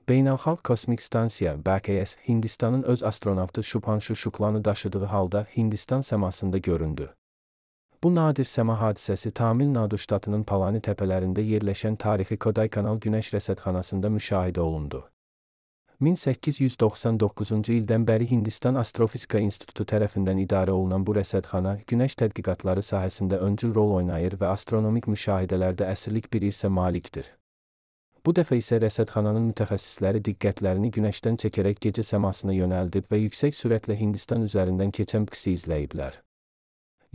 Beynəlxalq Kosmik Stansiya (BKS) Hindistanın öz astronavtı Shubhanshu Shuklanı daşıdığı halda Hindistan səmasında göründü. Bu nadir səma hadisəsi Tamil Nadu ştatının Palani təpələrində yerləşən tarixi Kodaikanal Günəş Rəsədxanasında müşahidə olundu. 1899-cu ildən bəri Hindistan Astrofizika İnstitutu tərəfindən idarə olunan bu rəsədxana, günəş tədqiqatları sahəsində öncül rol oynayır və astronomik müşahidələrdə əsirlik bir irsə malikdir. Bu dəfə isə rəsədxananın mütəxəssisləri diqqətlərini günəşdən çəkərək gecə səmasına yönəldib və yüksək sürətlə Hindistan üzərindən keçən BKS-i izləyiblər.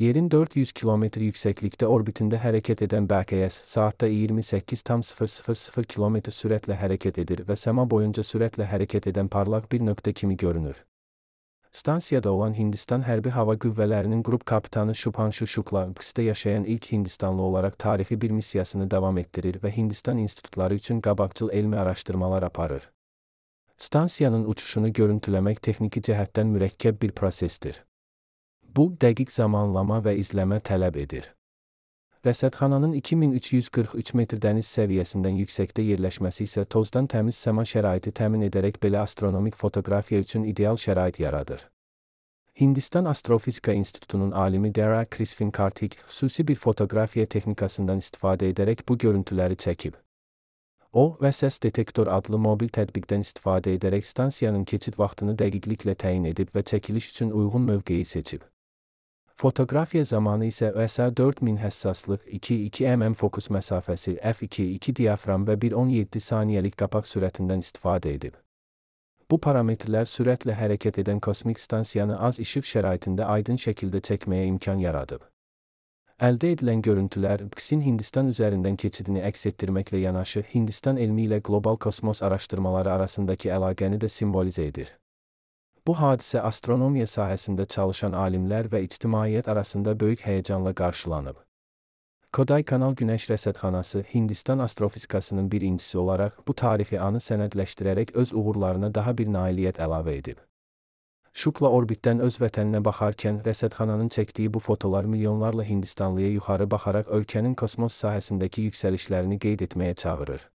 Yerin 400 kilometr yüksəklikdə orbitində hərəkət edən BKS, saatda 28,000 km sürətlə hərəkət edir və səma boyunca sürətlə hərəkət edən parlaq bir nöqtə kimi görünür. Stansiyada olan Hindistan Hərbi Hava Qüvvələrinin qrup kapitanı Shubhanshu Shukla, BKS-də yaşayan ilk Hindistanlı olaraq tarixi bir missiyasını davam etdirir və Hindistan institutları üçün qabaqcıl elmi araşdırmalar aparır. Stansiyanın uçuşunu görüntüləmək texniki cəhətdən mürəkkəb bir prosesdir. Bu, dəqiq zamanlama və izləmə tələb edir. Rəsədxananın 2343 metr dəniz səviyyəsindən yüksəkdə yerləşməsi isə tozdan təmiz səma şəraiti təmin edərək belə astronomik fotoqrafiya üçün ideal şərait yaradır. Hindistan Astrofizika İnstitutunun alimi Dara Krisfin Kartik xüsusi bir fotoqrafiya texnikasından istifadə edərək bu görüntüləri çəkib. O və səs detektor adlı mobil tətbiqdən istifadə edərək stansiyanın keçid vaxtını dəqiqliklə təyin edib və çəkiliş üçün uyğun mövqeyi seçib. Fotoqrafiya zamanı isə OSA 4000 həssaslıq, 2,2 mm fokus məsafəsi, f2,2 diafram və 1,17 saniyəlik qapaq sürətindən istifadə edib. Bu parametrlər sürətlə hərəkət edən kosmik stansiyanı az işıq şəraitində aydın şəkildə çəkməyə imkan yaradıb. Əldə edilən görüntülər, BKS-in Hindistan üzərindən keçidini əks etdirməklə yanaşı, Hindistan elmi ilə qlobal kosmos araşdırmaları arasındakı əlaqəni də simvolizə edir. Bu hadisə astronomiya sahəsində çalışan alimlər və ictimaiyyət arasında böyük həyəcanla qarşılanıb. Kodaikanal Günəş Rəsədxanası Hindistan astrofizikasının bir incisi olaraq bu tarixi anı sənədləşdirərək öz uğurlarına daha bir nailiyyət əlavə edib. Shukla orbitdən öz vətəninə baxarkən rəsədxananın çəkdiyi bu fotolar milyonlarla Hindistanlıya yuxarı baxaraq ölkənin kosmos sahəsindəki yüksəlişlərini qeyd etməyə çağırır.